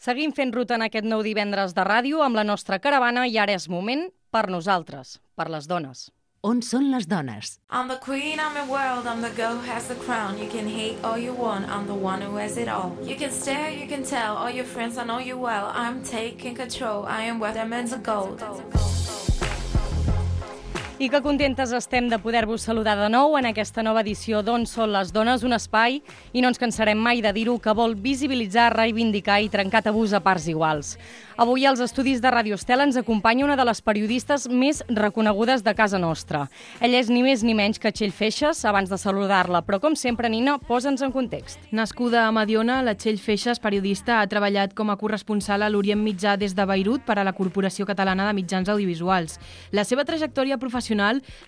Seguim fent ruta en aquest nou divendres de ràdio amb la nostra caravana i ara és moment per nosaltres, per les dones. On són les dones? I'm the queen, I'm the world, I'm the girl who has the crown. You can hate all you want, I'm the one who has it all. You can stare, you can tell, all your friends, I know you well. I'm taking control, I am where diamonds are gold. I que contentes estem de poder-vos saludar de nou en aquesta nova edició d'On són les dones, un espai, i no ens cansarem mai de dir-ho, que vol visibilitzar, reivindicar i trencar tabús a parts iguals. Avui als estudis de Ràdio Estel ens acompanya una de les periodistes més reconegudes de casa nostra. Ella és ni més ni menys que Txell Feixas, abans de saludar-la, però com sempre, Nina, posa'ns en context. Nascuda a Mediona, la Txell Feixas, periodista, ha treballat com a corresponsal a l'Orient Mitjà des de Beirut per a la Corporació Catalana de Mitjans Audiovisuals. La seva trajectòria professional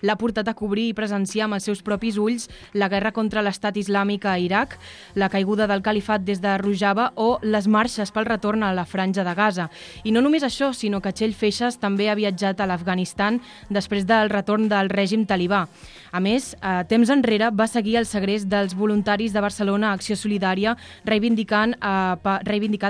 l'ha portat a cobrir i presenciar amb els seus propis ulls la guerra contra l'estat islàmic a Iraq, la caiguda del califat des de Rojava o les marxes pel retorn a la Franja de Gaza. I no només això, sinó que Txell Feixas també ha viatjat a l'Afganistan després del retorn del règim talibà. A més, temps enrere va seguir el segrest dels voluntaris de Barcelona Acció Solidària reivindicat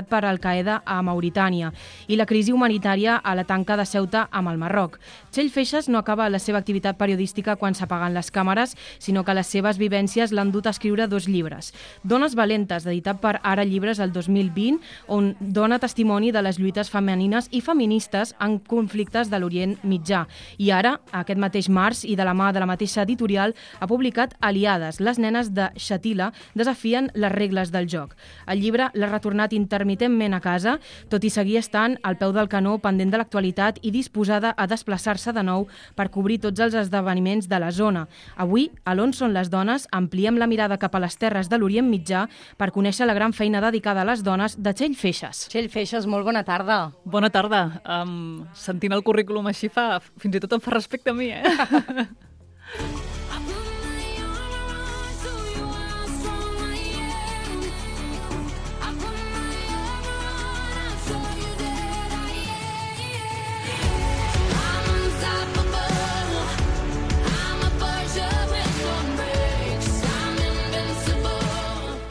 per Al-Qaeda a Mauritània i la crisi humanitària a la tanca de Ceuta amb el Marroc. Txell Feixas no acaba la seva activitat periodística quan s'apaguen les càmeres, sinó que les seves vivències l'han dut a escriure 2 llibres. Dones valentes, editat per Ara Llibres el 2020, on dona testimoni de les lluites femenines i feministes en conflictes de l'Orient Mitjà. I ara, aquest mateix març, i de la mà de la mateixa editorial, ha publicat Aliades, les nenes de Shatila desafien les regles del joc. El llibre l'ha retornat intermitentment a casa, tot i seguir estant al peu del canó, pendent de l'actualitat i disposada a desplaçar-se de nou per cobrir tots els esdeveniments de la zona. Avui, a l'On són les dones, ampliem la mirada cap a les terres de l'Orient Mitjà per conèixer la gran feina dedicada a les dones de Txell Feixas. Txell Feixas, molt bona tarda. Bona tarda. Sentint el currículum així fins i tot em fa respecte a mi,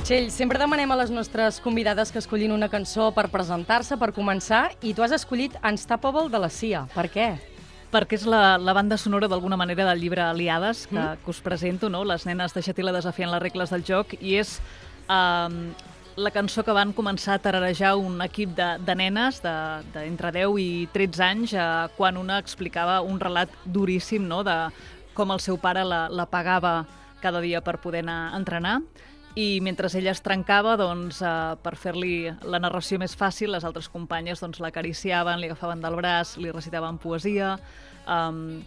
Txell, sempre demanem a les nostres convidades que escollin una cançó per presentar-se, per començar, i tu has escollit Unstoppable de la Sia. Per què? Perquè és la banda sonora d'alguna manera del llibre Aliades que us presento, no? Les nenes de Shatila desafien les regles del joc, i és la cançó que van començar a tararejar un equip de nenes d'entre 10 i 13 anys quan una explicava un relat duríssim, no? De com el seu pare la pagava cada dia per poder anar a entrenar. I mentre ella es trencava, per fer-li la narració més fàcil, les altres companyes l'acariciaven, li agafaven del braç, li recitaven poesia,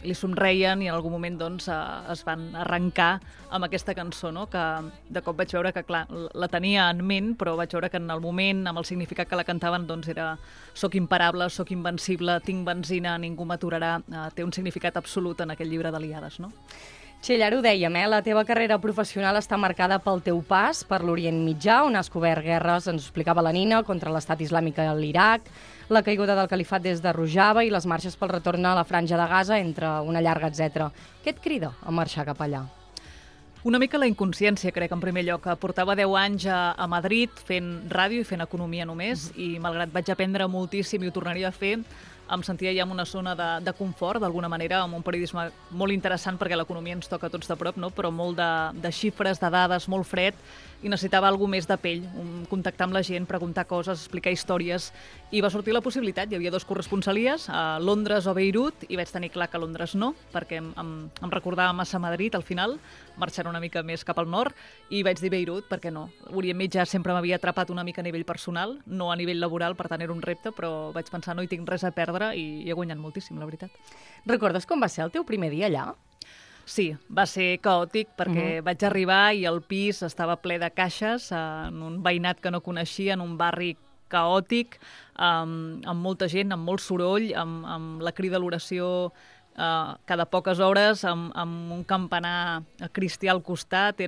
li somreien i en algun moment es van arrencar amb aquesta cançó, no? Que de cop vaig veure que, clar, la tenia en ment, però vaig veure que en el moment, amb el significat que la cantaven, era «Soc imparable, soc invencible, tinc benzina, ningú m'aturarà», té un significat absolut en aquest llibre d'Aliades, no? Txell, ara ho dèiem, la teva carrera professional està marcada pel teu pas per l'Orient Mitjà, on has cobert guerres, ens ho explicava la Nina, contra l'estat islàmic a l'Iraq, la caiguda del califat des de Rojava i les marxes pel retorn a la Franja de Gaza, entre una llarga, etc. Què et crida a marxar cap allà? Una mica la inconsciència, crec, en primer lloc. Portava 10 anys a Madrid fent ràdio i fent economia només, i malgrat vaig aprendre moltíssim i ho tornaria a fer, em sentia ja en una zona de confort, d'alguna manera, amb un periodisme molt interessant, perquè l'economia ens toca a tots de prop, no? Però molt de xifres, de dades, molt fred, i necessitava alguna més de pell, contactar amb la gent, preguntar coses, explicar històries, i va sortir la possibilitat. Hi havia 2 corresponsalies, a Londres o Beirut, i vaig tenir clar que Londres no, perquè em recordava massa Madrid al final, marxant una mica més cap al nord, i vaig dir Beirut, perquè no. L'Orient Mitjà sempre m'havia atrapat una mica a nivell personal, no a nivell laboral, per tant era un repte, però vaig pensar no hi tinc res a perdre i he guanyat moltíssim, la veritat. Recordes com va ser el teu primer dia allà? Sí, va ser caòtic perquè vaig arribar i el pis estava ple de caixes, en un veïnat que no coneixia, en un barri caòtic, amb molta gent, amb molt soroll, amb la crida a l'oració cada poques hores, amb un campanar cristià al costat.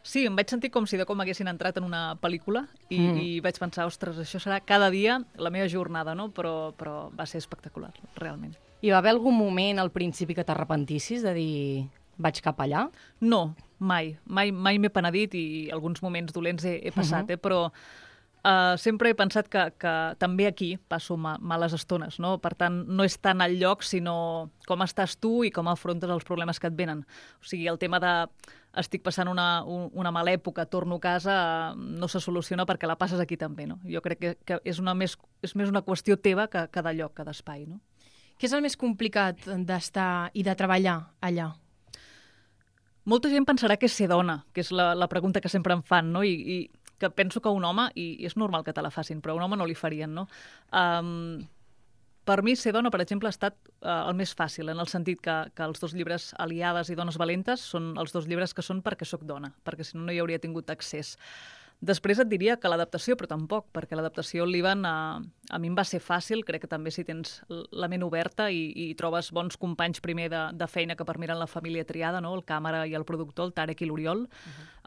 Sí, em vaig sentir com si de com haguessin entrat en una pel·lícula i vaig pensar, ostres, això serà cada dia la meva jornada, no? Però va ser espectacular, realment. Hi va haver algun moment al principi que t'arrepentissis de dir vaig cap allà? No, mai. Mai m'he penedit i alguns moments dolents he passat, però sempre he pensat que també aquí passo males estones, no? Per tant, no és tant el lloc, sinó com estàs tu i com afrontes els problemes que et venen. O sigui, el tema de estic passant una mala època, torno a casa, no se soluciona perquè la passes aquí també, no? Jo crec que és més una qüestió teva que de lloc, que d'espai, no? Què és el més complicat d'estar i de treballar allà? Molta gent pensarà que és ser dona, que és la pregunta que sempre em fan, no? I que penso que un home, i és normal que te la facin, però a un home no li farien, no? Per mi, ser dona, per exemple, ha estat el més fàcil, en el sentit que els 2 llibres, Aliades i Dones valentes, són els 2 llibres que són perquè sóc dona, perquè si no, no hi hauria tingut accés. Després et diria que l'adaptació, però tampoc, perquè l'adaptació al Líban a mi em va ser fàcil, crec que també si tens la ment oberta i trobes bons companys primer de feina que per mi eren la família triada, no? El càmera i el productor, el Tarek i l'Oriol,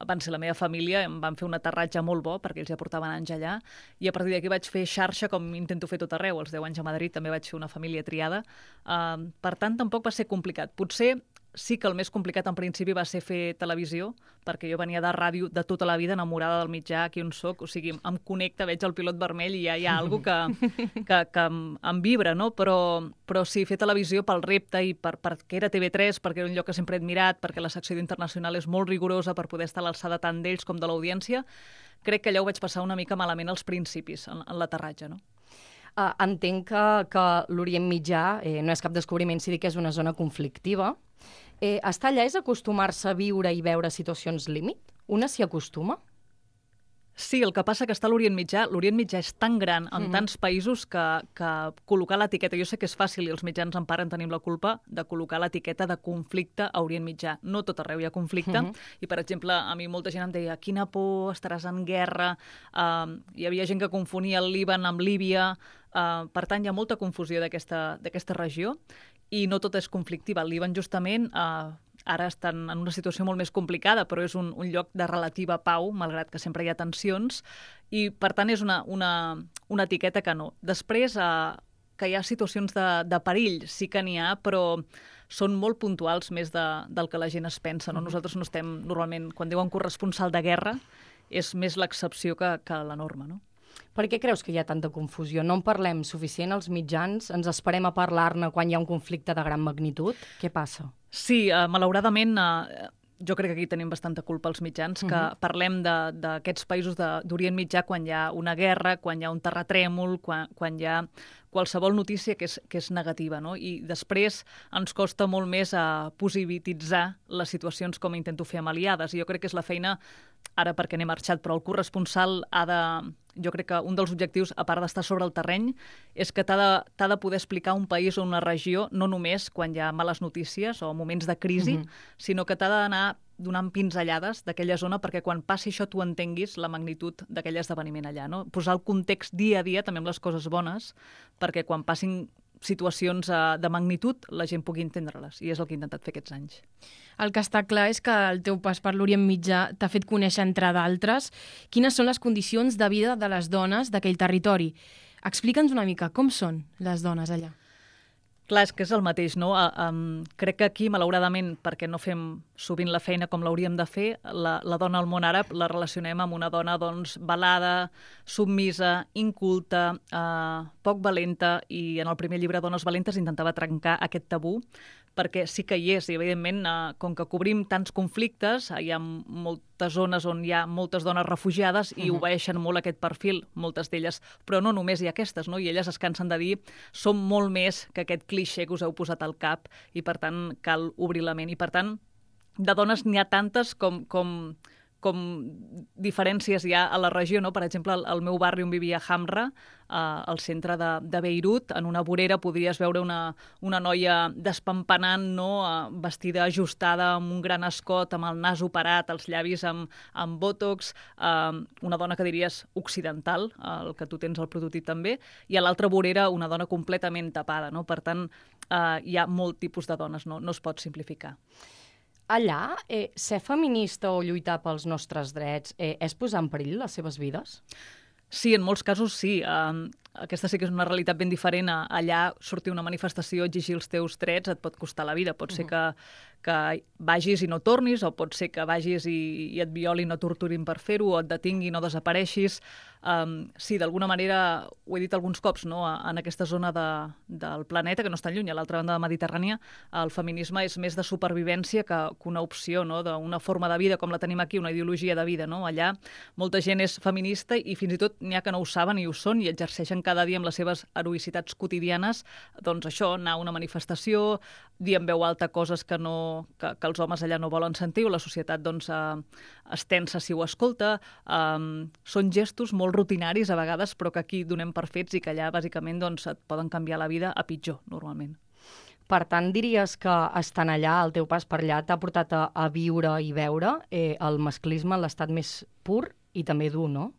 van ser la meva família, em van fer un aterratge molt bo, perquè ells ja portaven anys allà, i a partir d'aquí vaig fer xarxa com intento fer tot arreu. Als 10 anys a Madrid també vaig fer una família triada. Per tant, tampoc va ser complicat. Potser sí que el més complicat en principi va ser fer televisió, perquè jo venia de ràdio de tota la vida, enamorada del mitjà, aquí on soc, o sigui, em connecta, veig el pilot vermell i ja hi ha alguna cosa que em vibra, no? Però sí, fer televisió pel repte i perquè era TV3, perquè era un lloc que sempre he admirat, perquè la secció d'internacional és molt rigorosa per poder estar a l'alçada tant d'ells com de l'audiència, crec que allà ho vaig passar una mica malament als principis, en l'aterratge, no? Entenc que l'Orient Mitjà no és cap descobriment si dic que és una zona conflictiva. Estar allà és acostumar-se a viure i veure situacions límit? Una s'hi acostuma? Sí, el que passa que està a l'Orient Mitjà és tan gran en tants països que col·locar l'etiqueta, jo sé que és fàcil i els mitjans en part en tenim la culpa de col·locar l'etiqueta de conflicte a Orient Mitjà. No tot arreu hi ha conflicte i, per exemple, a mi molta gent em deia quina por, estaràs en guerra, hi havia gent que confonia el Líban amb Líbia, per tant hi ha molta confusió d'aquesta regió i no tot és conflictiva. El Líban justament ara estan en una situació molt més complicada, però és un lloc de relativa pau, malgrat que sempre hi ha tensions, i per tant és una etiqueta que no. Després, que hi ha situacions de perill, sí que n'hi ha, però són molt puntuals més del que la gent es pensa. No? Nosaltres no estem, normalment, quan diuen corresponsal de guerra, és més l'excepció que la norma, no? Per què creus que hi ha tanta confusió? No en parlem suficient als mitjans? Ens esperem a parlar-ne quan hi ha un conflicte de gran magnitud? Què passa? Sí, malauradament, jo crec que aquí tenim bastanta culpa als mitjans, que parlem d'aquests països d'Orient Mitjà quan hi ha una guerra, quan hi ha un terratrèmol, quan hi ha qualsevol notícia que és negativa, no? I després ens costa molt més positivitzar les situacions com intento fer amb Aliades. I jo crec que és la feina, ara perquè n'he marxat, però el corresponsal jo crec que un dels objectius, a part d'estar sobre el terreny, és que t'ha de poder explicar un país o una regió, no només quan hi ha males notícies o moments de crisi, sinó que t'ha d'anar donant pinzellades d'aquella zona perquè quan passi això tu entenguis la magnitud d'aquell esdeveniment allà, no? Posar el context dia a dia, també amb les coses bones, perquè quan passin situacions de magnitud la gent pugui entendre-les, i és el que he intentat fer aquests anys. El que està clar és que el teu pas per l'Orient Mitjà t'ha fet conèixer, entre d'altres, quines són les condicions de vida de les dones d'aquell territori. Explica'ns una mica com són les dones allà. Clar, és que és el mateix, no? Crec que aquí, malauradament, perquè no fem sovint la feina com l'hauríem de fer, la dona al món àrab la relacionem amb una dona doncs, velada, submisa, inculta, poc valenta, i en el primer llibre Dones valentes intentava trencar aquest tabú, perquè sí que hi és, i evidentment, com que cobrim tants conflictes, hi ha moltes zones on hi ha moltes dones refugiades i obeeixen molt aquest perfil, moltes d'elles, però no només hi ha aquestes, no? I elles es cansen de dir som molt més que aquest clixé que us heu posat al cap i, per tant, cal obrir la ment. I, per tant, de dones n'hi ha tantes com diferències hi ha a la regió, no? Per exemple, al meu barri on vivia Hamra, al centre de Beirut, en una vorera podries veure una noia despampanant, no? Vestida ajustada, amb un gran escot, amb el nas operat, els llavis amb botox, una dona que diries occidental, el que tu tens al prototip també, i a l'altra vorera una dona completament tapada, no? Per tant, hi ha molt tipus de dones, no es pot simplificar. Allà, ser feminista o lluitar pels nostres drets és posar en perill les seves vides? Sí, en molts casos sí. aquesta sí que és una realitat ben diferent. Allà sortir una manifestació, exigir els teus drets, et pot costar la vida. Pot ser que vagis i no tornis, o pot ser que vagis i et violin o torturin per fer-ho, o et detinguin o desapareixis. Sí, d'alguna manera, ho he dit alguns cops, no? En aquesta zona del planeta, que no està lluny, a l'altra banda de la Mediterrània, el feminisme és més de supervivència que una opció, no? D'una forma de vida com la tenim aquí, una ideologia de vida. No? Allà molta gent és feminista i fins i tot n'hi ha que no ho saben i ho són i exerceixen cada dia amb les seves heroïcitats quotidianes, doncs això, anar a una manifestació, dir en veu alta coses que els homes allà no volen sentir, o la societat doncs, es tensa si ho escolta. Són gestos molt rutinaris a vegades, però que aquí donem per fets i que allà bàsicament doncs, et poden canviar la vida a pitjor, normalment. Per tant, diries que estant allà, el teu pas per allà, t'ha portat a viure i veure el masclisme en l'estat més pur i també dur, no?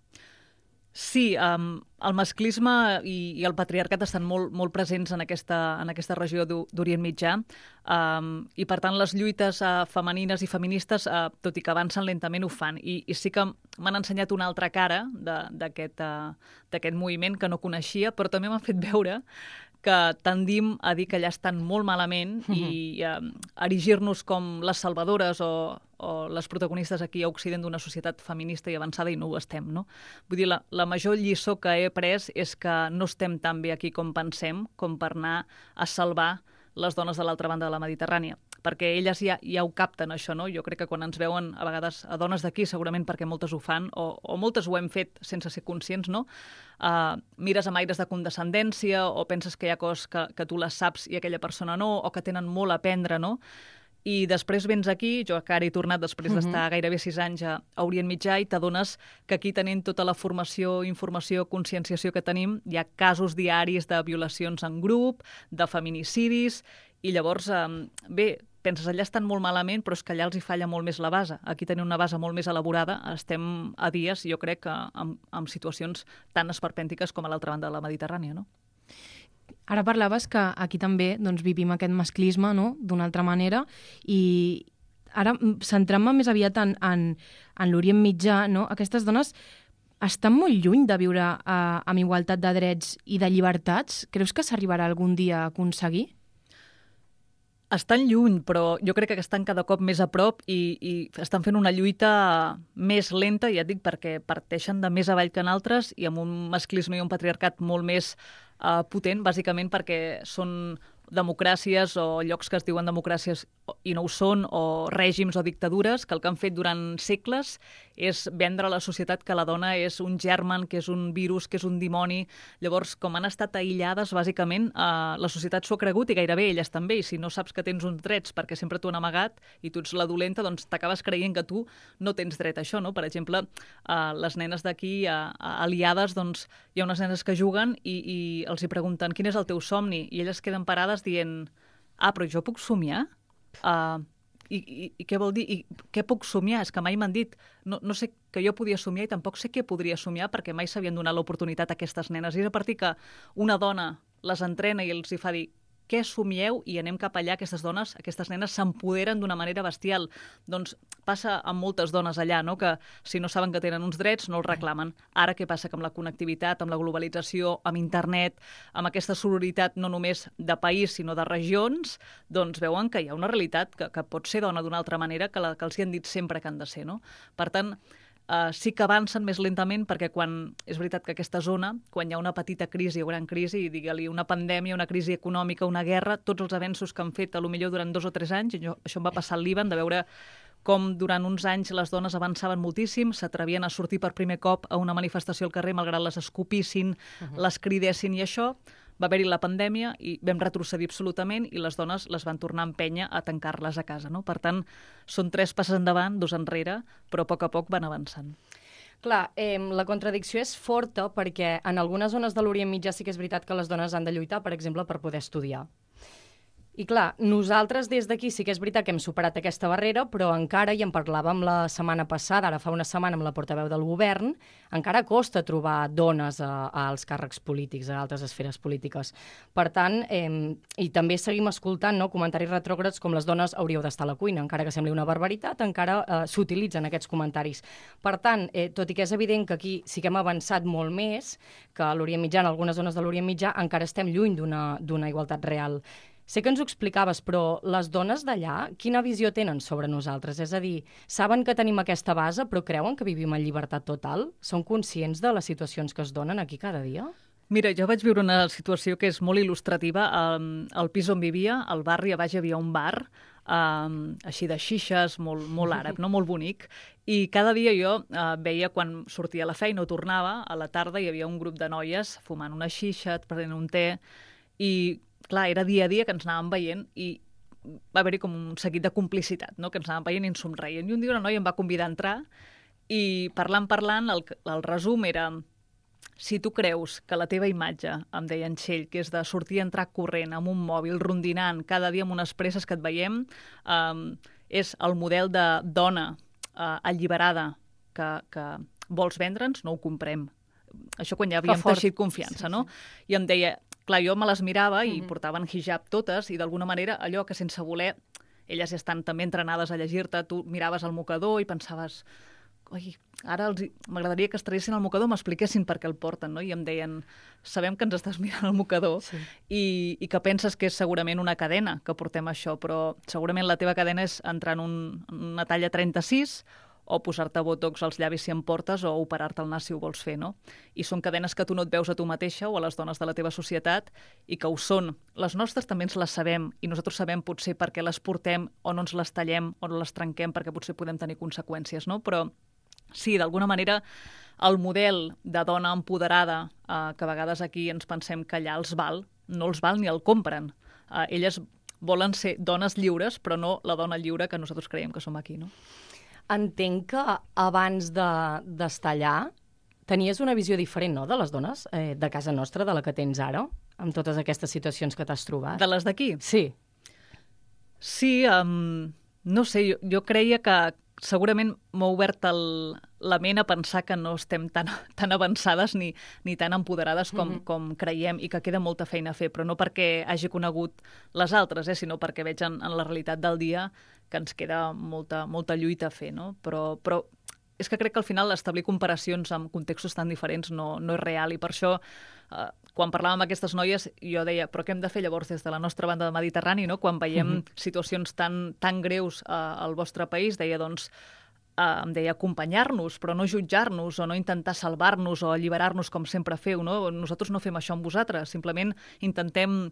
Sí, el masclisme i el patriarcat estan molt, molt presents en aquesta regió d'Orient Mitjà, i per tant les lluites femenines i feministes, tot i que avancen lentament, ho fan. I sí que m'han ensenyat una altra cara d'aquest moviment que no coneixia, però també m'han fet veure que tendim a dir que allà estan molt malament i erigir-nos com les salvadores o les protagonistes aquí a Occident d'una societat feminista i avançada, i no ho estem, no? Vull dir, la major lliçó que he après és que no estem tan bé aquí com pensem, com per anar a salvar les dones de l'altra banda de la Mediterrània, perquè elles ja ho capten, això, no? Jo crec que quan ens veuen, a vegades, a dones d'aquí, segurament perquè moltes ho fan, o moltes ho hem fet sense ser conscients, no? Mires amb aires de condescendència, o penses que hi ha coses que tu les saps i aquella persona no, o que tenen molt a aprendre, no? I després vens aquí, jo que ara he tornat després d'estar gairebé 6 anys a Orient Mitjà, i t'adones que aquí tenint tota la formació, informació, conscienciació que tenim, hi ha casos diaris de violacions en grup, de feminicidis, i llavors, bé, penses, allà estan molt malament, però és que allà els hi falla molt més la base. Aquí tenim una base molt més elaborada, estem a dies, jo crec, amb situacions tan esperpèntiques com a l'altra banda de la Mediterrània, no? Ara parlaves que aquí també doncs, vivim aquest masclisme, no?, d'una altra manera, i ara, centrant-me més aviat en l'Orient Mitjà, no?, aquestes dones estan molt lluny de viure amb igualtat de drets i de llibertats. Creus que s'arribarà algun dia a aconseguir? Estan lluny, però jo crec que estan cada cop més a prop i estan fent una lluita més lenta, ja et dic, perquè parteixen de més avall que en altres i amb un masclisme i un patriarcat molt més potent, bàsicament perquè són democràcies o llocs que es diuen democràcies i no ho són, o règims o dictadures que el que han fet durant segles és vendre a la societat que la dona és un germen, que és un virus, que és un dimoni. Llavors, com han estat aïllades, bàsicament, la societat s'ho ha cregut, i gairebé elles també, i si no saps que tens uns drets perquè sempre t'ho han amagat i tu ets la dolenta, doncs t'acabes creient que tu no tens dret a això, no? Per exemple, les nenes d'aquí, aliades, doncs hi ha unes nenes que juguen i els hi pregunten quin és el teu somni, i elles queden parades dient, però jo puc somiar? I què vol dir? I què puc somiar? És que mai m'han dit, no sé que jo podia somiar i tampoc sé què podria somiar, perquè mai s'havien donat l'oportunitat a aquestes nenes. I és a partir que una dona les entrena i els hi fa dir què somieu, i anem cap allà, aquestes dones, aquestes nenes s'empoderen d'una manera bestial. Doncs passa amb moltes dones allà, no?, que si no saben que tenen uns drets no els reclamen. Ara què passa? Que amb la connectivitat, amb la globalització, amb internet, amb aquesta sororitat no només de país sinó de regions, doncs veuen que hi ha una realitat que pot ser dona d'una altra manera que els hi han dit sempre que han de ser, no? Per tant, sí que avancen més lentament, perquè és veritat que aquesta zona, quan hi ha una petita crisi o gran crisi, digue-li una pandèmia, una crisi econòmica, una guerra, tots els avenços que han fet potser durant 2 o 3 anys, això em va passar al Líban, de veure com durant uns anys les dones avançaven moltíssim, s'atrevien a sortir per primer cop a una manifestació al carrer, malgrat les escopissin, les cridessin, i això va haver-hi la pandèmia i vam retrocedir absolutament, i les dones les van tornar a empènyer a tancar-les a casa, no? Per tant, són 3 passes endavant, 2 enrere, però a poc van avançant. Clar, la contradicció és forta perquè en algunes zones de l'Orient Mitjà sí que és veritat que les dones han de lluitar, per exemple, per poder estudiar. I clar, nosaltres des d'aquí sí que és veritat que hem superat aquesta barrera, però encara, i en parlàvem la setmana passada, ara fa una setmana amb la portaveu del govern, encara costa trobar dones als càrrecs polítics, a altres esferes polítiques. Per tant, i també seguim escoltant comentaris retrògrads com les dones hauríeu d'estar a la cuina, encara que sembli una barbaritat, encara s'utilitzen aquests comentaris. Per tant, tot i que és evident que aquí sí que hem avançat molt més que a l'Orient Mitjà, en algunes zones de l'Orient Mitjà, encara estem lluny d'una igualtat real. Sé que ens ho explicaves, però les dones d'allà, quina visió tenen sobre nosaltres? És a dir, saben que tenim aquesta base, però creuen que vivim en llibertat total? Són conscients de les situacions que es donen aquí cada dia? Mira, jo vaig viure una situació que és molt il·lustrativa. Al pis on vivia, al barri, a baix hi havia un bar, així de xixes, molt àrab, no? Molt bonic. I cada dia jo veia, quan sortia a la feina o tornava, a la tarda hi havia un grup de noies fumant una xixa, prenent un te, i clar, era dia a dia que ens anàvem veient i va haver-hi com un seguit de complicitat, no? Que ens anàvem veient i ens somreien. I un dia una noia em va convidar a entrar i parlant, el resum era: si tu creus que la teva imatge, em deia en Txell, que és de sortir i entrar corrent amb un mòbil, rondinant, cada dia amb unes presses que et veiem, és el model de dona alliberada que vols vendre'ns, no ho comprem. Això quan ja havíem teixit confiança, no? I em deia, clar, jo me les mirava i portaven hijab totes i d'alguna manera allò que sense voler, elles ja estan també entrenades a llegir-te, tu miraves el mocador i pensaves, oi, ara m'agradaria que es traguessin el mocador, m'expliquessin per què el porten, no? I em deien, sabem que ens estàs mirant el mocador i que penses que és segurament una cadena que portem això, però segurament la teva cadena és entrar en una talla 36 o posar-te botox als llavis si en portes o operar-te el nas si ho vols fer, no? I són cadenes que tu no et veus a tu mateixa o a les dones de la teva societat i que ho són. Les nostres també ens les sabem i nosaltres sabem potser per què les portem o no ens les tallem o no les trenquem perquè potser podem tenir conseqüències, no? Però sí, d'alguna manera el model de dona empoderada que a vegades aquí ens pensem que allà els val, no els val ni el compren. Elles volen ser dones lliures, però no la dona lliure que nosaltres creiem que som aquí, no? Entenc que abans d'estar allà tenies una visió diferent, no?, de les dones de casa nostra, de la que tens ara, amb totes aquestes situacions que t'has trobat. De les d'aquí? Sí. Sí, no sé, jo creia que segurament m'ha obert la ment a pensar que no estem tan avançades ni tan empoderades com creiem i que queda molta feina a fer, però no perquè hagi conegut les altres, sinó perquè veig en la realitat del dia que ens queda molta lluita a fer, no? Però és que crec que al final establir comparacions amb contextos tan diferents no és real i per això quan parlàvem amb aquestes noies jo deia, però què hem de fer llavors des de la nostra banda de Mediterrani, no? Quan veiem situacions tan greus al vostre país, deia, doncs, em deia acompanyar-nos, però no jutjar-nos o no intentar salvar-nos o alliberar-nos com sempre feu, no? Nosaltres no fem això amb vosaltres, simplement intentem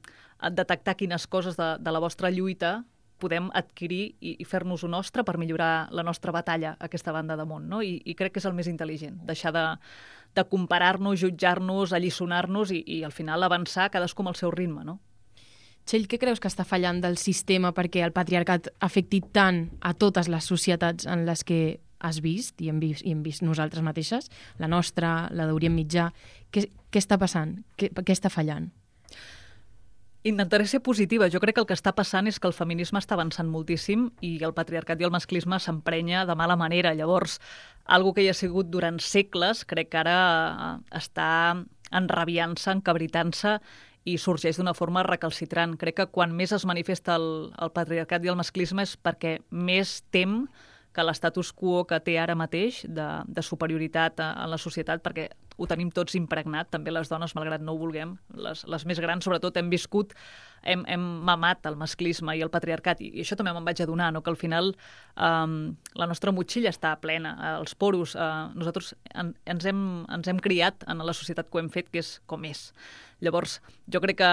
detectar quines coses de la vostra lluita podem adquirir i fer-nos-ho nostre per millorar la nostra batalla a aquesta banda de món, no? I crec que és el més intel·ligent, deixar de comparar-nos, jutjar-nos, alliçonar-nos i al final avançar cadascú amb el seu ritme, no? Txell, què creus que està fallant del sistema perquè el patriarcat afecti tant a totes les societats en les que has vist i hem vist nosaltres mateixes, la nostra, la d'Orient Mitjà? Què està passant? Què està fallant? Intentaré ser positiva. Jo crec que el que està passant és que el feminisme està avançant moltíssim i el patriarcat i el masclisme s'emprenya de mala manera. Llavors, algo que hi ha sigut durant segles, crec que ara està enrabiant-se, encabritant-se i sorgeix d'una forma recalcitrant. Crec que quan més es manifesta el patriarcat i el masclisme és perquè més tem que l'estatus quo que té ara mateix de superioritat en la societat, perquè ho tenim tots impregnat, també les dones, malgrat no ho vulguem, les més grans sobretot hem viscut, hem mamat el masclisme i el patriarcat, i això també me'n vaig adonar, no? Que al final la nostra motxilla està plena, els poros, nosaltres ens hem criat en la societat que ho hem fet, que és com és. Llavors, jo crec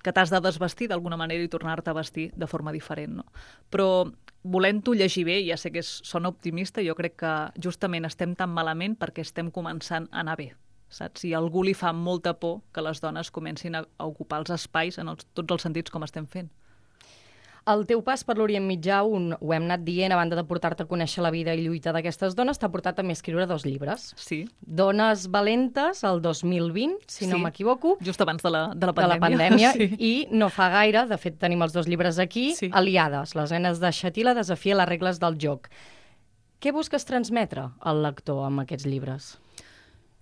que t'has de desvestir d'alguna manera i tornar-te a vestir de forma diferent, no? Però volent-ho llegir bé, ja sé que sona optimista, jo crec que justament estem tan malament perquè estem començant a anar bé, saps? I a algú li fa molta por que les dones comencin a ocupar els espais en tots els sentits com estem fent. El teu pas per l'Orient Mitjà, ho hem anat dient, a banda de portar-te a conèixer la vida i lluita d'aquestes dones, t'ha portat també a escriure 2 llibres. Sí. Dones valentes, el 2020, si no m'equivoco. Just abans de la pandèmia. De la pandèmia, sí. I no fa gaire, de fet tenim els 2 llibres aquí, sí. Aliades, les nenes de Xatila desafien les regles del joc. Què busques transmetre al lector amb aquests llibres?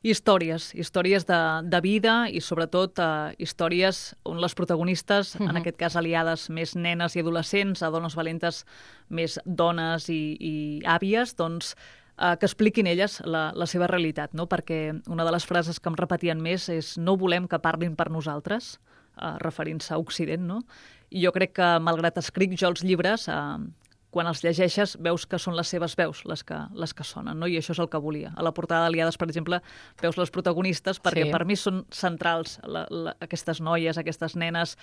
Històries de vida i sobretot històries on les protagonistes, en aquest cas aliades més nenes i adolescents, a dones valentes més dones i àvies, doncs que expliquin elles la seva realitat, no? Perquè una de les frases que em repetien més és no volem que parlin per nosaltres, referint-se a Occident, no? I jo crec que, malgrat escric jo els llibres, quan els llegeixes veus que són les seves veus les que sonen, no? I això és el que volia. A la portada d'Aliades, per exemple, veus les protagonistes perquè per mi són centrals aquestes noies, aquestes nenes,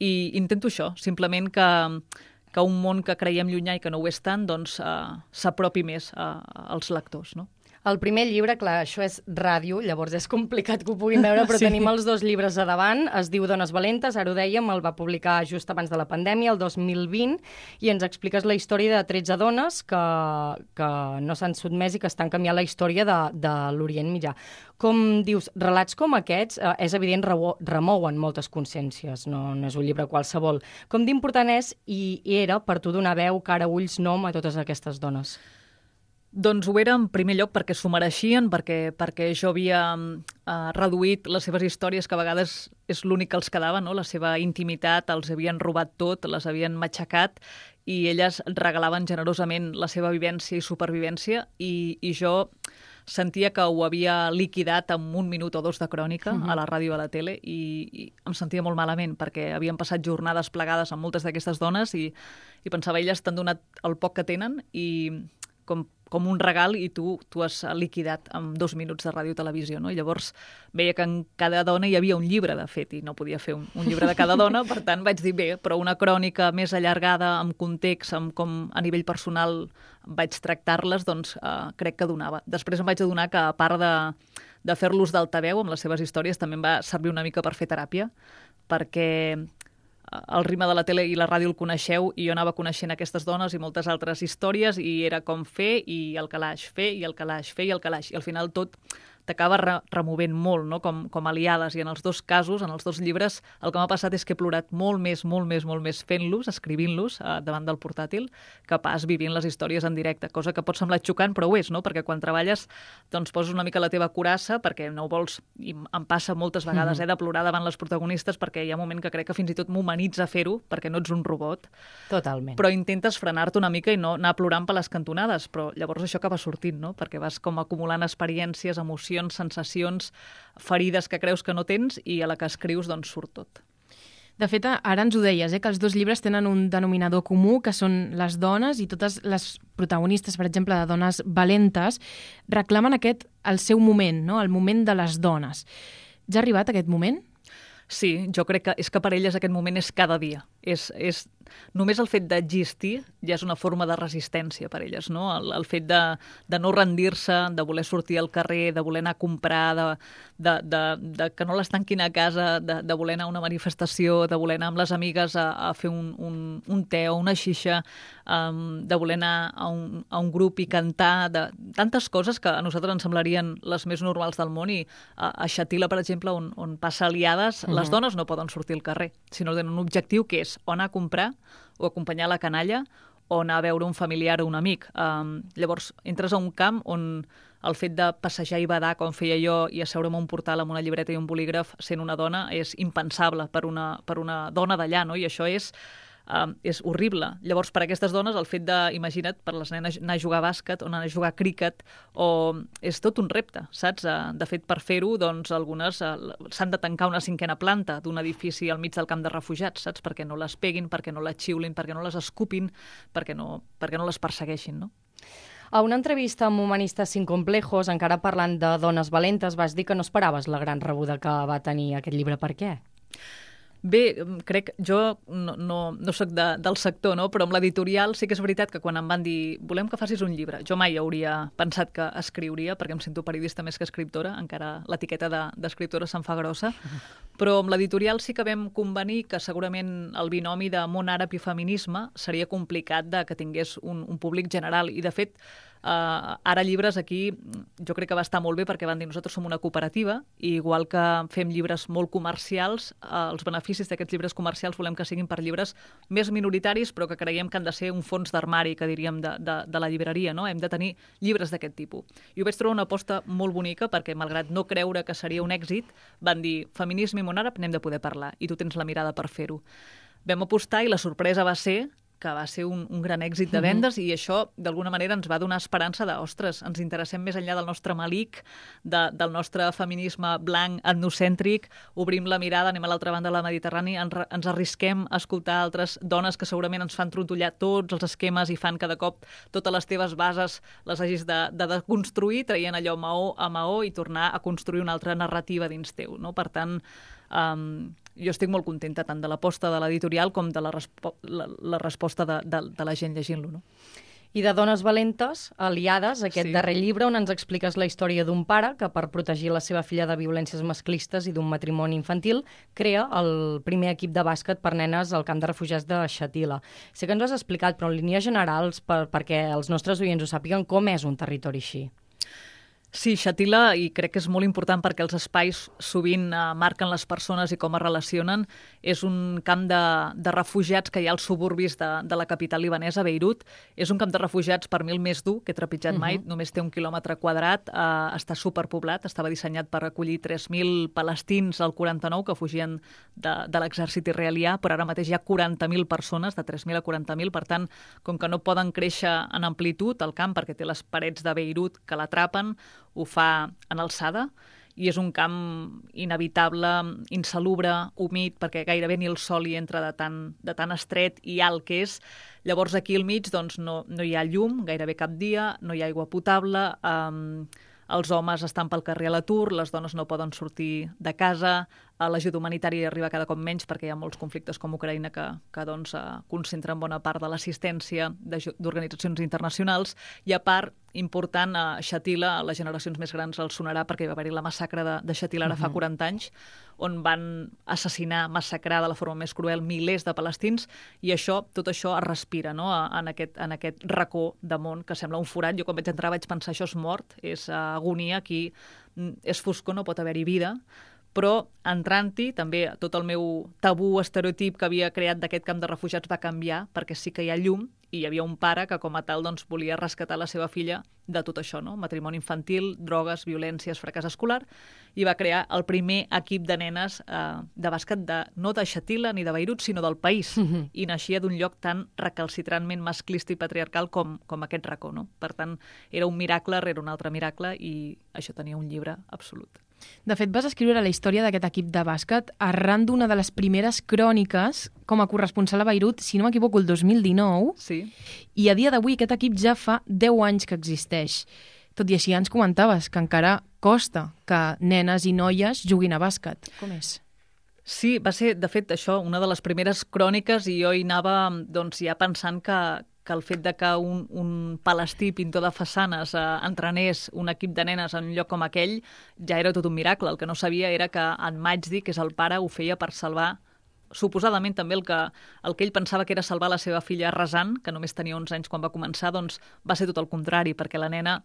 i intento això, simplement que un món que creiem llunyà i que no ho és tant, doncs s'apropi més als lectors, no? El primer llibre, clar, això és ràdio, llavors és complicat que ho puguin veure, però tenim els 2 llibres a davant. Es diu Dones valentes, ara ho dèiem, el va publicar just abans de la pandèmia, el 2020, i ens expliques la història de 13 dones que no s'han sotmès i que estan canviant la història de l'Orient Mitjà. Com dius, relats com aquests, és evident, remouen moltes consciències, no és un llibre qualsevol. Com d'important és i era per tu donar veu, cara, ulls, nom a totes aquestes dones? Doncs ho era en primer lloc perquè s'ho mereixien, perquè jo havia reduït les seves històries, que a vegades és l'únic que els quedava, no? La seva intimitat, els havien robat tot, les havien matxacat, i elles regalaven generosament la seva vivència i supervivència, i jo sentia que ho havia liquidat en 1 minut o 2 de crònica a la ràdio i a la tele, i em sentia molt malament, perquè havien passat jornades plegades amb moltes d'aquestes dones i pensava, elles t'han donat el poc que tenen i com un regal, i tu has liquidat en 2 minuts de ràdio i televisió, no? I llavors veia que en cada dona hi havia un llibre, de fet, i no podia fer un llibre de cada dona, per tant vaig dir, bé, però una crònica més allargada, amb context, amb com a nivell personal vaig tractar-les, doncs crec que donava. Després em vaig adonar que, a part de fer-los d'altaveu amb les seves històries, també em va servir una mica per fer teràpia, perquè el ritme de la tele i la ràdio el coneixeu, i jo anava coneixent aquestes dones i moltes altres històries, i era com fer i el calaix, fer i el calaix, fer i el calaix, i al final tot t'acaba removent molt, no? Com aliades, i en els 2 casos, en els 2 llibres, el que m'ha passat és que he plorat molt més fent-los, escrivint-los davant del portàtil, que pas vivint les històries en directe, cosa que pot semblar xocant, però ho és, no? Perquè quan treballes doncs poses una mica la teva curassa, perquè no ho vols, i em passa moltes vegades de plorar davant les protagonistes, perquè hi ha un moment que crec que fins i tot m'humanitza fer-ho, perquè no ets un robot. Totalment. Però intentes frenar-te una mica i no anar plorant per les cantonades, però llavors això acaba sortint, no? Perquè vas com acumulant experiències, emocions, sensacions, ferides que creus que no tens, i a la que escrius doncs surt tot. De fet, ara ens ho deies, que els 2 llibres tenen un denominador comú, que són les dones, i totes les protagonistes, per exemple, de Dones valentes, reclamen el seu moment, no? El moment de les dones. Ja ha arribat aquest moment? Sí, jo crec que és que per elles aquest moment és cada dia. Només el fet d'existir ja és una forma de resistència per elles, no? El fet de no rendir-se, de voler sortir al carrer, de voler anar a comprar, de que no les tanquin a casa, de voler anar a una manifestació, de voler anar amb les amigues a fer un te o una xixa, de voler anar a un grup i cantar, de tantes coses que a nosaltres ens semblarien les més normals del món, i a Xatila, per exemple, on passa Aliades, les dones no poden sortir al carrer, sinó tenen un objectiu que és o anar a comprar, o acompanyar la canalla, o anar a veure un familiar o un amic. Llavors, entres a un camp on el fet de passejar i badar, com feia jo, i asseure'm a un portal amb una llibreta i un bolígraf sent una dona, és impensable per una dona d'allà, no? I això és horrible. Llavors, per aquestes dones, el fet de, imagina't, per les nenes anar a jugar a bàsquet o anar a jugar a críquet, és tot un repte, saps? De fet, per fer-ho, doncs, algunes s'han de tancar una 5a planta d'un edifici al mig del camp de refugiats, saps? Perquè no les peguin, perquè no les xiulin, perquè no les escupin, perquè no les persegueixin, no? A una entrevista amb Humanistes sin complejos, encara parlant de dones valentes, vas dir que no esperaves la gran rebuda que va tenir aquest llibre. Per què? Bé, crec, jo no soc del sector, no? Però amb l'editorial sí que és veritat que quan em van dir volem que facis un llibre, jo mai hauria pensat que escriuria, perquè em sento periodista més que escriptora, encara l'etiqueta d'escriptora se'n fa grossa, però amb l'editorial sí que vam convenir que segurament el binomi de món àrab i feminisme seria complicat de que tingués un públic general, i de fet ara llibres aquí jo crec que va estar molt bé perquè van dir nosaltres som una cooperativa i igual que fem llibres molt comercials, els beneficis d'aquests llibres comercials volem que siguin per llibres més minoritaris però que creiem que han de ser un fons d'armari, que diríem, de la llibreria, no? Hem de tenir llibres d'aquest tipus. I ho vaig trobar una aposta molt bonica perquè, malgrat no creure que seria un èxit, van dir feminisme i món àrab n'hem de poder parlar i tu tens la mirada per fer-ho. Vam apostar i la sorpresa va ser que va ser un gran èxit de vendes i això, d'alguna manera, ens va donar esperança de, ostres, ens interessem més enllà del nostre malic, del nostre feminisme blanc, etnocèntric, obrim la mirada, anem a l'altra banda de la Mediterrània, ens arrisquem a escoltar altres dones que segurament ens fan trontollar tots els esquemes i fan cada cop totes les teves bases les hagis de deconstruir, traient allò maó a maó i tornar a construir una altra narrativa dins teu, no? Per tant, jo estic molt contenta tant de l'aposta de l'editorial com de la resposta de la gent llegint-lo, no? I de Dones valentes, aliades, aquest darrer llibre on ens expliques la història d'un pare que per protegir la seva filla de violències masclistes i d'un matrimoni infantil crea el primer equip de bàsquet per nenes al camp de refugiats de Shatila. Sé que ens ho has explicat, però en línies generals, perquè els nostres oients ho sàpiguen, com és un territori així? Sí, Shatila, i crec que és molt important perquè els espais sovint marquen les persones i com es relacionen. És un camp de refugiats que hi ha als suburbis de la capital libanesa, Beirut. És un camp de refugiats per mi el més dur que he trepitjat mai. Només té 1 quilòmetre quadrat, està superpoblat, estava dissenyat per acollir 3.000 palestins al 49 que fugien de l'exèrcit israelià, però ara mateix hi ha 40.000 persones, de 3.000 a 40.000, per tant, com que no poden créixer en amplitud el camp perquè té les parets de Beirut que l'atrapen, ho fa en alçada i és un camp inevitable, insalubre, humit, perquè gairebé ni el sol hi entra de tan estret i alt que és. Llavors aquí al mig doncs, no hi ha llum gairebé cap dia, no hi ha aigua potable, els homes estan pel carrer a l'atur, les dones no poden sortir de casa, l'ajuda humanitària arriba cada cop menys perquè hi ha molts conflictes com Ucraïna que doncs, concentren bona part de l'assistència d'organitzacions internacionals i a part, important, a Shatila, a les generacions més grans els sonarà perquè va haver-hi la massacre de Shatila ara fa 40 anys, on van assassinar, massacrar de la forma més cruel milers de palestins i tot això es respira, no? en aquest racó de món que sembla un forat. Jo quan vaig entrar vaig pensar això és mort, és agonia, aquí és foscor, no pot haver-hi vida, però entrant-hi també tot el meu tabú estereotip que havia creat d'aquest camp de refugiats va canviar perquè sí que hi ha llum i hi havia un pare que com a tal doncs, volia rescatar la seva filla de tot això, no? Matrimoni infantil, drogues, violències, fracàs escolar, i va crear el primer equip de nenes de bàsquet no de Shatila ni de Beirut, sinó del país, i naixia d'un lloc tan recalcitrantment masclista i patriarcal com aquest racó, no? Per tant, era un miracle rere un altre miracle i això tenia un llibre absolut. De fet, vas escriure la història d'aquest equip de bàsquet arran d'una de les primeres cròniques com a corresponsal a Beirut, si no m'equivoco, el 2019. Sí. I a dia d'avui aquest equip ja fa 10 anys que existeix. Tot i així ens comentaves que encara costa que nenes i noies juguin a bàsquet. Com és? Sí, va ser, de fet, això, una de les primeres cròniques i jo hi anava doncs, ja pensant que el fet de que un palestí pintor de façanes entrenés un equip de nenes en un lloc com aquell ja era tot un miracle. El que no sabia era que en Majdi, que és el pare, ho feia per salvar suposadament també el que ell pensava que era salvar la seva filla Razan, que només tenia 11 anys quan va començar, doncs va ser tot el contrari, perquè la nena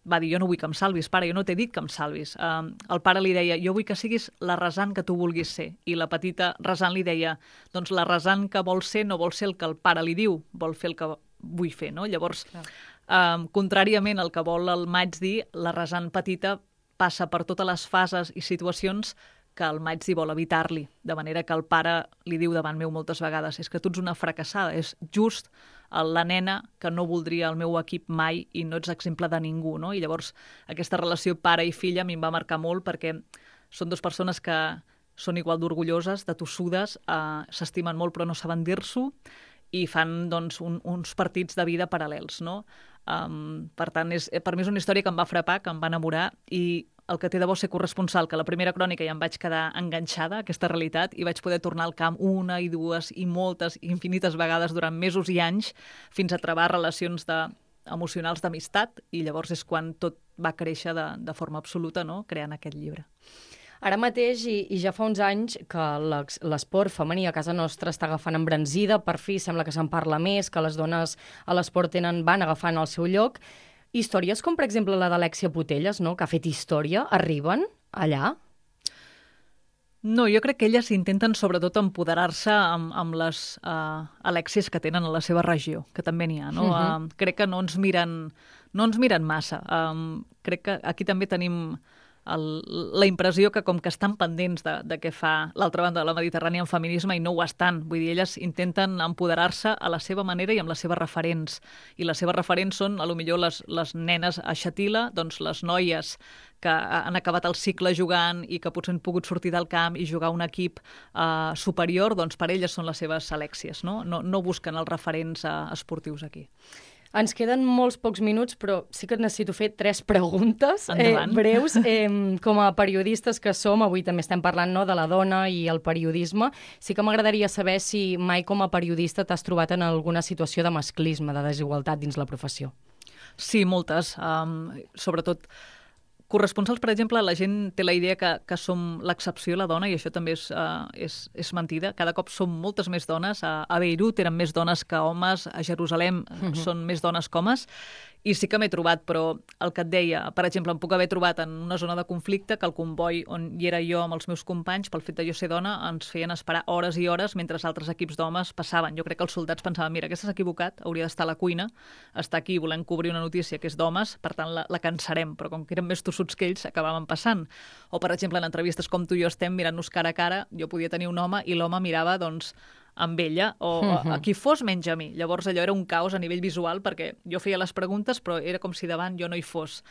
va dir, jo no vull que em salvis, pare, jo no t'he dit que em salvis. El pare li deia, jo vull que siguis la Razan que tu vulguis ser. I la petita Razan li deia, doncs la Razan que vol ser no vol ser el que el pare li diu, vol fer el que vull fer, no? Llavors, contràriament al que vol el Majdi, la Razan petita passa per totes les fases i situacions que el Majdi vol evitar-li, de manera que el pare li diu davant meu moltes vegades, és que tu ets una fracassada, és just la nena que no voldria el meu equip mai i no ets exemple de ningú, no? I llavors aquesta relació pare i filla a mi em va marcar molt perquè són dues persones que són igual d'orgulloses, de tossudes, s'estimen molt però no saben dir-s'ho i fan doncs, uns partits de vida paral·lels, no? Per tant, per mi és una història que em va frapar, que em va enamorar i el que té de bo ser corresponsal, que la primera crònica ja em vaig quedar enganxada a aquesta realitat i vaig poder tornar al camp una i dues i moltes i infinites vegades durant mesos i anys fins a trobar relacions emocionals d'amistat, i llavors és quan tot va créixer de forma absoluta, no?, creant aquest llibre. Ara mateix, i ja fa uns anys, que l'esport femení a casa nostra està agafant embranzida, per fi sembla que se'n parla més, que les dones a l'esport van agafant el seu lloc. Històries com, per exemple, la d'Alexia Putellas, no?, que ha fet història, arriben allà? No, jo crec que elles intenten sobretot empoderar-se amb les Alèxies que tenen a la seva regió, que també n'hi ha, no? Crec que no ens miren massa. Crec que aquí també tenim la impressió que com que estan pendents de què fa l'altra banda de la Mediterrània en feminisme, i no ho estan. Vull dir, elles intenten empoderar-se a la seva manera i amb les seves referents. I les seves referents són, potser les nenes a Xatila, doncs les noies que han acabat el cicle jugant i que potser han pogut sortir del camp i jugar a un equip superior, doncs per elles són les seves Alèxies, no? No busquen els referents esportius aquí. Ens queden molts pocs minuts, però sí que necessito fer 3 preguntes breus. Com a periodistes que som, avui també estem parlant, no, de la dona i el periodisme, sí que m'agradaria saber si mai com a periodista t'has trobat en alguna situació de masclisme, de desigualtat dins la professió. Sí, moltes. Sobretot corresponsals, per exemple, la gent té la idea que som l'excepció, la dona, i això també és mentida. Cada cop som moltes més dones. A Beirut eren més dones que homes, a Jerusalem són més dones que homes, i sí que m'he trobat, però el que et deia, per exemple, em puc haver trobat en una zona de conflicte que el comboi on hi era jo amb els meus companys, pel fet de jo ser dona, ens feien esperar hores i hores mentre altres equips d'homes passaven. Jo crec que els soldats pensaven, mira, aquesta s'ha equivocat, hauria d'estar a la cuina, està aquí volent cobrir una notícia que és d'homes, per tant la cansarem, però com que eren més tossuts que ells, acabaven passant. O, per exemple, en entrevistes com tu i jo estem mirant-nos cara a cara, jo podia tenir un home i l'home mirava, doncs, amb ella, o a qui fos menys a mi. Llavors allò era un caos a nivell visual, perquè jo feia les preguntes, però era com si davant jo no hi fos.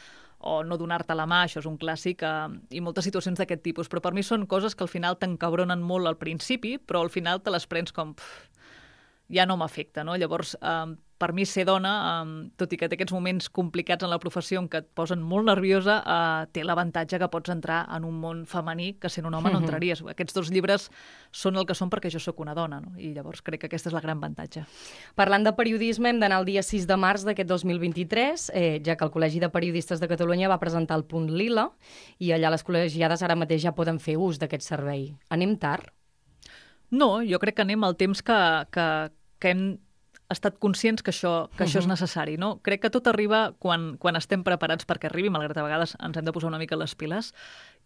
O no donar-te la mà, això és un clàssic, i moltes situacions d'aquest tipus. Però per mi són coses que al final t'encabronen molt al principi, però al final te les prens com... ja no m'afecta, no? Llavors, per mi ser dona, tot i que té aquests moments complicats en la professió en què et posen molt nerviosa, té l'avantatge que pots entrar en un món femení que sent un home no entraries. Aquests 2 llibres són el que són perquè jo sóc una dona, no? I llavors crec que aquesta és la gran avantatge. Parlant de periodisme, hem d'anar el dia 6 de març d'aquest 2023, ja que el Col·legi de Periodistes de Catalunya va presentar el Punt Lila, i allà les col·legiades ara mateix ja poden fer ús d'aquest servei. Anem tard? No, jo crec que anem al temps que hem estat conscients que això és necessari, no? Crec que tot arriba quan estem preparats perquè arribi, malgrat a vegades ens hem de posar una mica les piles,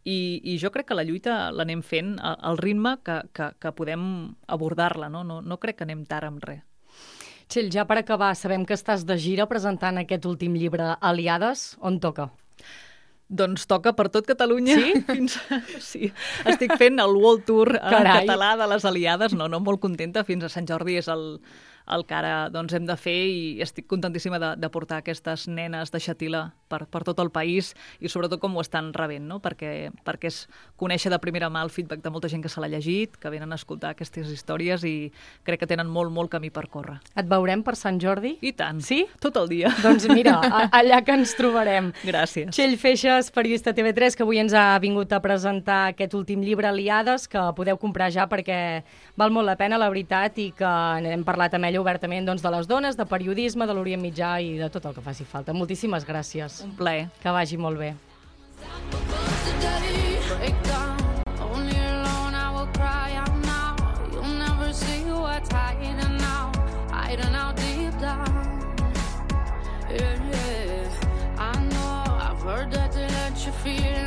i jo crec que la lluita l'anem fent al ritme que podem abordar-la, no? No crec que anem tard amb res. Txell, ja per acabar, sabem que estàs de gira presentant aquest últim llibre, Aliades. On toca? Doncs toca per tot Catalunya. Sí? Sí. Estic fent el World Tour català de les Aliades. No, molt contenta. Fins a Sant Jordi és el que ara doncs, hem de fer, i estic contentíssima de portar aquestes nenes de Xatila per tot el país, i sobretot com ho estan rebent, no? Perquè és conèixer de primera mà el feedback de molta gent que se l'ha llegit, que venen a escoltar aquestes històries, i crec que tenen molt, molt camí per córrer. Et veurem per Sant Jordi? I tant. Sí? Tot el dia. Doncs mira, allà que ens trobarem. Gràcies. Txell Feixas, periodista TV3, que avui ens ha vingut a presentar aquest últim llibre, Aliades, que podeu comprar ja perquè val molt la pena, la veritat, i que hem parlat amb ella obertament, doncs, de les dones, de periodisme, de l'Orient Mitjà i de tot el que faci falta. Moltíssimes gràcies. Un plaer. Que vagi molt bé. Feel